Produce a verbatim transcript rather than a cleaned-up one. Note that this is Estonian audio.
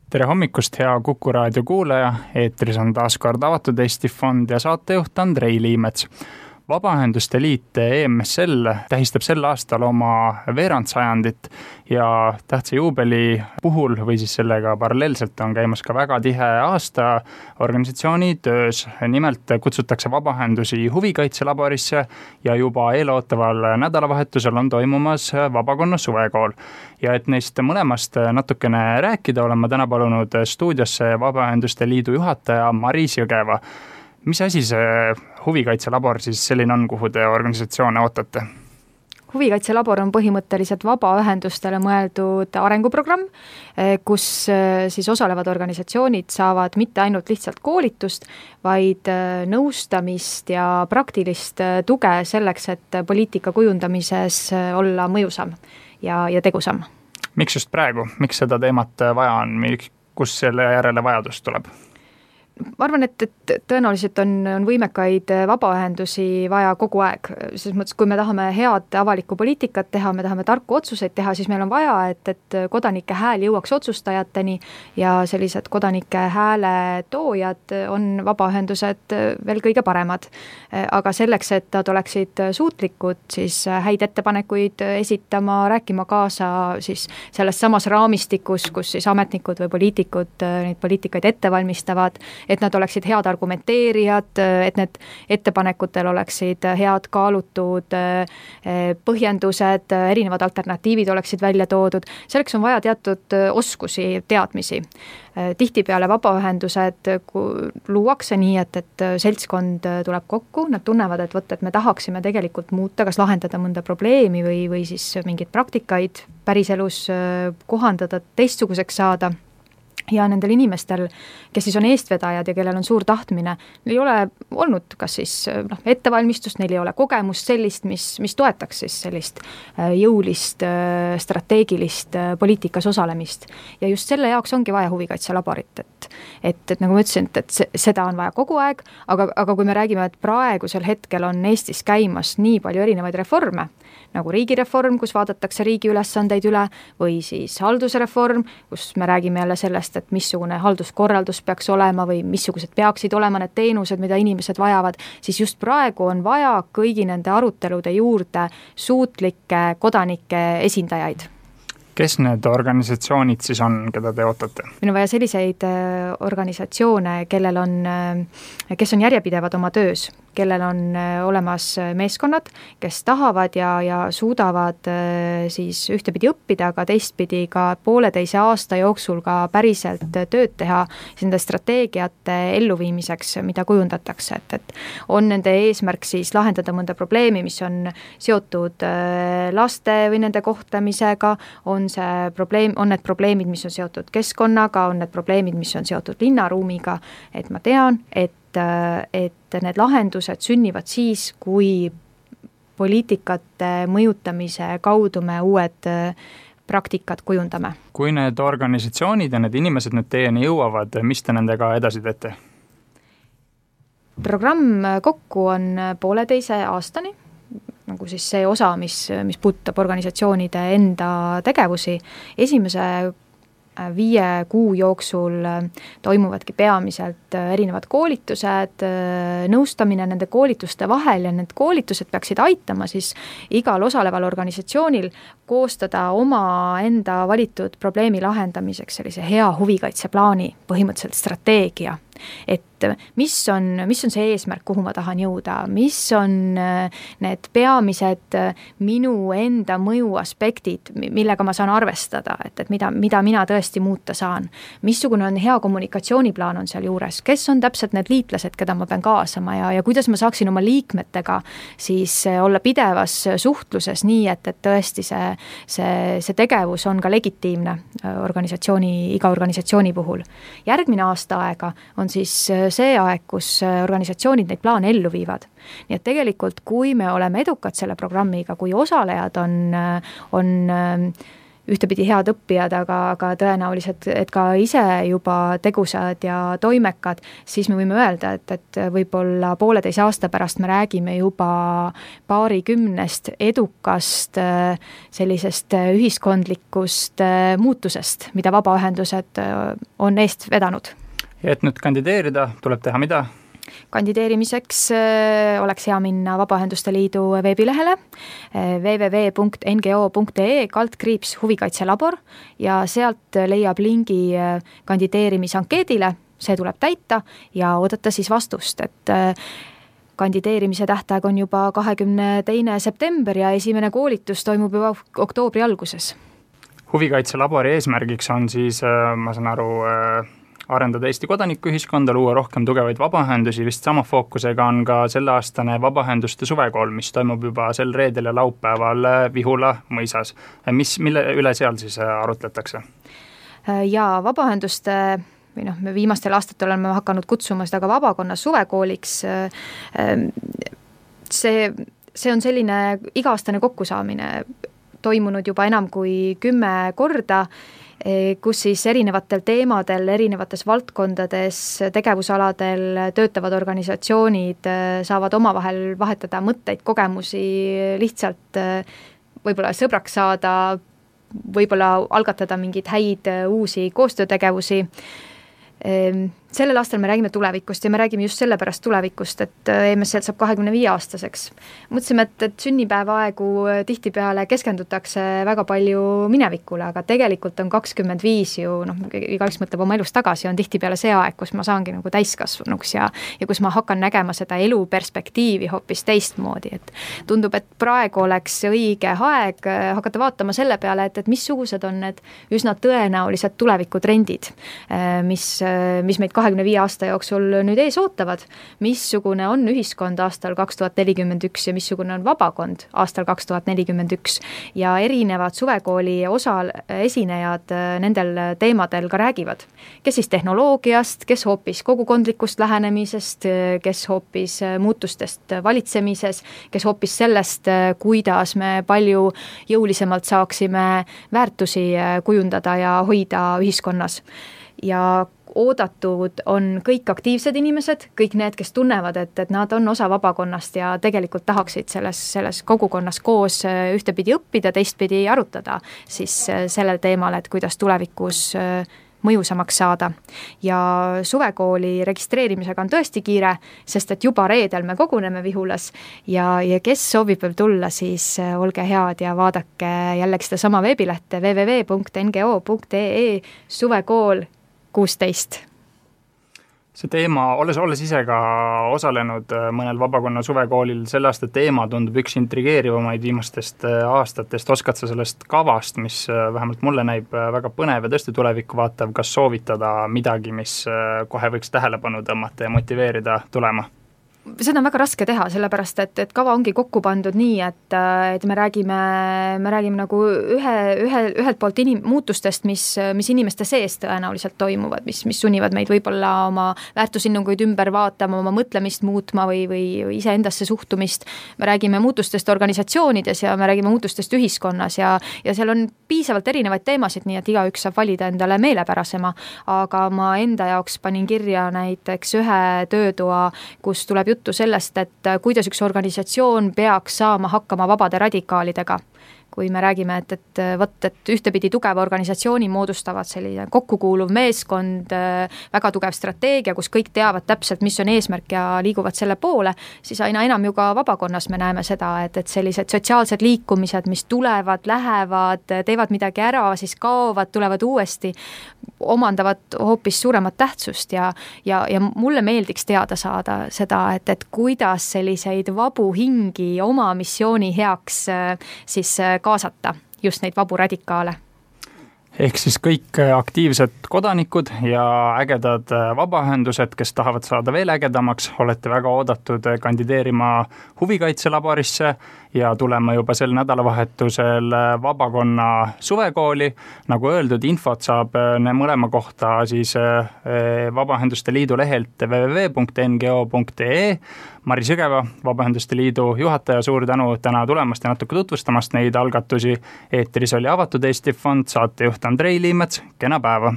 Tere hommikust, hea Kuku raadio kuulaja, eetris on taas kord Avatud Eesti Fond ja saatejuht Andrei Liimets. Vabaühenduste Liit E M S L tähistab sel aastal oma veerandsajandit ja tähtsa juubeli puhul või siis sellega paralleelselt on käimas ka väga tihe aasta organisatsiooni töös. Nimelt kutsutakse vabaühendusi huvikaitselaborisse ja juba eelootaval nädalavahetusel on toimumas Vabakonna suvekool. Ja et neist mõlemast natukene rääkida, olen ma täna palunud stuudiosse Vabaühenduste Liidu juhataja Maris Jõgeva. Mis asi see huvikaitselabor siis selline on, kuhu te organisatsioone ootate? Huvikaitselabor on põhimõtteliselt vabaühendustele mõeldud arenguprogramm, kus siis osalevad organisatsioonid saavad mitte ainult lihtsalt koolitust, vaid nõustamist ja praktilist tuge selleks, et poliitika kujundamises olla mõjusam ja, ja tegusam. Miks just praegu? Miks seda teemat vaja on? Kus selle järele vajadus tuleb? Ma arvan, et, et tõenäoliselt on, on võimekaid vabaühendusi vaja kogu aeg. Selles mõttes, kui me tahame head avalikku poliitikat teha, me tahame tarku otsuseid teha, siis meil on vaja, et, et kodanike hääl jõuaks otsustajateni ja sellised kodanike hääle toojad on vabaühendused veel kõige paremad. Aga selleks, et nad oleksid suutlikud, siis häid ettepanekuid esitama, rääkima kaasa siis selles samas raamistikus, kus siis ametnikud või poliitikud neid poliitikaid ette valmistavad, et nad oleksid head argumenteerijad, et need ettepanekutel oleksid head kaalutud põhjendused, erinevad alternatiivid oleksid välja toodud. Selleks on vaja teatud oskusi, teadmisi. Tihtipeale vabaühendused luuakse nii, et, et seltskond tuleb kokku, nad tunnevad, et, võt, et me tahaksime tegelikult muuta, kas lahendada mõnda probleemi või, või siis mingeid praktikaid päriselus kohandada, teistsuguseks saada. Ja nendel inimestel, kes siis on eestvedajad ja kellel on suur tahtmine, neil ei ole olnud kas siis no, ettevalmistust, neil ei ole kogemust sellist, mis, mis toetaks siis sellist jõulist, strateegilist poliitikas osalemist. Ja just selle jaoks ongi vaja huvikaitselaborit, et, et, et nagu ma ütlesin, et, et seda on vaja kogu aeg, aga, aga kui me räägime, et praegusel hetkel on Eestis käimas nii palju erinevaid reforme, nagu riigireform, kus vaadatakse riigi ülesandeid üle, või siis haldusreform, kus me räägime jälle sellest, et missugune halduskorraldus peaks olema või missugused peaksid olema need teenused, mida inimesed vajavad, siis just praegu on vaja kõigi nende arutelude juurde suutlikke kodanike esindajaid. Kes need organisatsioonid siis on, keda te ootate? Meil on vaja selliseid organisatsioone, kellel on, kes on järjepidevad oma töös, kellel on olemas meeskonnad, kes tahavad ja, ja suudavad siis ühtepidi õppida, aga teistpidi ka pooleteise aasta jooksul ka päriselt tööd teha nende strateegiate elluviimiseks, mida kujundatakse. Et, et on nende eesmärk siis lahendada mõnda probleemi, mis on seotud laste või nende kohtlemisega, on see probleem, on need probleemid, mis on seotud keskkonnaga, on need probleemid, mis on seotud linnaruumiga, et ma tean, et et need lahendused sünnivad siis, kui poliitikate mõjutamise kaudu me uued praktikad kujundame. Kui need organisatsioonid ja need inimesed nüüd teieni jõuavad, mis te nendega edasi teete? Programm kokku on pooleteise aastani, nagu siis see osa, mis, mis puudutab organisatsioonide enda tegevusi. Esimese viie kuu jooksul toimuvadki peamiselt erinevad koolitused, nõustamine nende koolituste vahel ja need koolitused peaksid aitama siis igal osaleval organisatsioonil koostada oma enda valitud probleemi lahendamiseks sellise hea huvikaitseplaani, põhimõtteliselt strateegia. Et mis on, mis on see eesmärk, kuhu ma tahan jõuda, mis on need peamised minu enda mõju aspektid, millega ma saan arvestada, et, et mida, mida mina tõesti muuta saan. Missugune on hea kommunikatsiooniplaan on seal juures, kes on täpselt need liitlased, keda ma pean kaasama ja, ja kuidas ma saaksin oma liikmetega siis olla pidevas suhtluses nii, et, et tõesti see, see, see tegevus on ka legitiimne organisatsiooni, iga organisatsiooni puhul. Järgmine aasta aega on siis see aeg, kus organisatsioonid neid plaane ellu viivad. Nii et tegelikult, kui me oleme edukad selle programmiga, kui osalejad on, on ühtepidi head õppijad, aga, aga tõenäoliselt, et ka ise juba tegusad ja toimekad, siis me võime öelda, et, et võib-olla pooleteise aasta pärast me räägime juba paarikümnest edukast sellisest ühiskondlikust muutusest, mida vabaühendused on eest vedanud. Ja et nüüd kandideerida, tuleb teha mida? Kandideerimiseks oleks hea minna Vabaühenduste Liidu veebilehele w w w punkt n g o punkt e kaldkriips huvikaitselabor ja sealt leiab lingi kandideerimisankeedile, see tuleb täita ja oodata siis vastust, et kandideerimise tähtaeg on juba kahekümne teine september ja esimene koolitus toimub juba oktoobri alguses. Huvikaitselabori eesmärgiks on siis, ma saan aru, arendada Eesti kodanikuühiskonda, luua rohkem tugevaid vabaühendusi, vist sama fookusega on ka selleaastane vabaühenduste suvekool, mis toimub juba sel reedel ja laupäeval Vihula mõisas. Mis, mille üle seal siis arutletakse? Ja vabaühenduste või noh, me viimastel aastatel oleme hakanud kutsuma seda ka vabakonna suvekooliks. See, see on selline iga-aastane kokkusaamine toimunud juba enam kui kümme korda, kus siis erinevatel teemadel, erinevates valdkondades, tegevusaladel töötavad organisatsioonid saavad omavahel vahetada mõtteid, kogemusi, lihtsalt võib-olla sõbraks saada, võib-olla algatada mingeid häid uusi koostöötegevusi. Sellel aastal me räägime tulevikust ja me räägime just sellepärast tulevikust, et E M S L saab kahekümne viie aastaseks. Mõtlesime, et, et sünnipäevaaegu tihtipeale keskendutakse väga palju minevikule, aga tegelikult on kakskümmend viis ju, noh, igaüks mõtleb oma elust tagasi, on tihtipeale see aeg, kus ma saangi nagu täiskasvanuks ja, ja kus ma hakkan nägema seda elu perspektiivi hoopis teistmoodi, et tundub, et praegu oleks õige aeg hakata vaatama selle peale, et, et missugused on need üsna tõenäolised tulevikutrendid, mis, mis meid kahekümne viie aasta jooksul nüüd ees ootavad, missugune on ühiskond aastal kaks tuhat nelikümmend üks ja missugune on vabakond aastal kaks tuhat nelikümmend üks ja erinevad suvekooli osal esinejad nendel teemadel ka räägivad. Kes siis tehnoloogiast, kes hoopis kogukondlikust lähenemisest, kes hoopis muutustest valitsemises, kes hoopis sellest, kuidas me palju jõulisemalt saaksime väärtusi kujundada ja hoida ühiskonnas. Ja oodatud on kõik aktiivsed inimesed, kõik need, kes tunnevad, et, et nad on osa vabakonnast ja tegelikult tahaksid selles, selles kogukonnas koos ühtepidi õppida, teistpidi arutada siis sellel teemal, et kuidas tulevikus mõjusamaks saada. Ja suvekooli registreerimisega on tõesti kiire, sest et juba reedel me koguneme Vihulas ja, ja kes soovib veel tulla, siis olge head ja vaadake jällegi seda sama veebilehte w w w punkt n g o punkt e e suvekool kuusteist. See teema, olles, olles ise ka osalenud mõnel vabakonna suvekoolil, selle aasta teema tundub üks intrigeerivamaid viimastest aastatest. Oskad sa sellest kavast, mis vähemalt mulle näib väga põnev ja tõesti tulevikku vaatav, kas soovitada midagi, mis kohe võiks tähelepanu tõmmata ja motiveerida tulema? Seda on väga raske teha, sellepärast, et, et kava ongi kokku pandud nii, et, et me räägime, me räägime nagu ühe, ühe, ühelt poolt inim, muutustest, mis, mis inimeste sees tõenäoliselt toimuvad, mis, mis sunnivad meid võib-olla oma väärtusinnunguid ümber vaatama, oma mõtlemist muutma või, või iseendasse suhtumist. Me räägime muutustest organisatsioonides ja me räägime muutustest ühiskonnas ja, ja seal on piisavalt erinevaid teemasid, nii et igaüks saab valida endale meelepärasema, aga ma enda jaoks panin kirja näiteks ühe töötoa, kus tuleb juttu sellest, et kuidas üks organisatsioon peaks saama hakkama vabade radikaalidega. Kui me räägime, et, et, võt, et ühtepidi tugeva organisatsiooni moodustavad selline kokkukuuluv meeskond, väga tugev strateegia, kus kõik teavad täpselt, mis on eesmärk ja liiguvad selle poole, siis aina enam ju ka vabakonnas me näeme seda, et, et sellised sotsiaalsed liikumised, mis tulevad, lähevad, teevad midagi ära, siis kaovad, tulevad uuesti, omandavad hoopis suuremat tähtsust ja, ja, ja mulle meeldiks teada saada seda, et, et kuidas selliseid vabu hingi oma missiooni heaks siis kaasata just neid vabu radikaale. ehk siis kõik aktiivsed kodanikud ja ägedad vabaühendused, kes tahavad saada veel ägedamaks, olete väga oodatud kandideerima huvikaitselaborisse ja tulema juba sel nädalavahetusel vabakonna suvekooli. Nagu öeldud, infot saab mõlema kohta siis Vabaühenduste Liidu lehelt double-u double-u double-u punkt n g o punkt e e. Mari Sõgeva, Vabaühenduste Liidu juhataja, suur tänu täna tulemast ja natuke tutvustamast neid algatusi. Eetris oli Avatud Eesti Fond, saatejuht Andrei Liimets, kena päeva!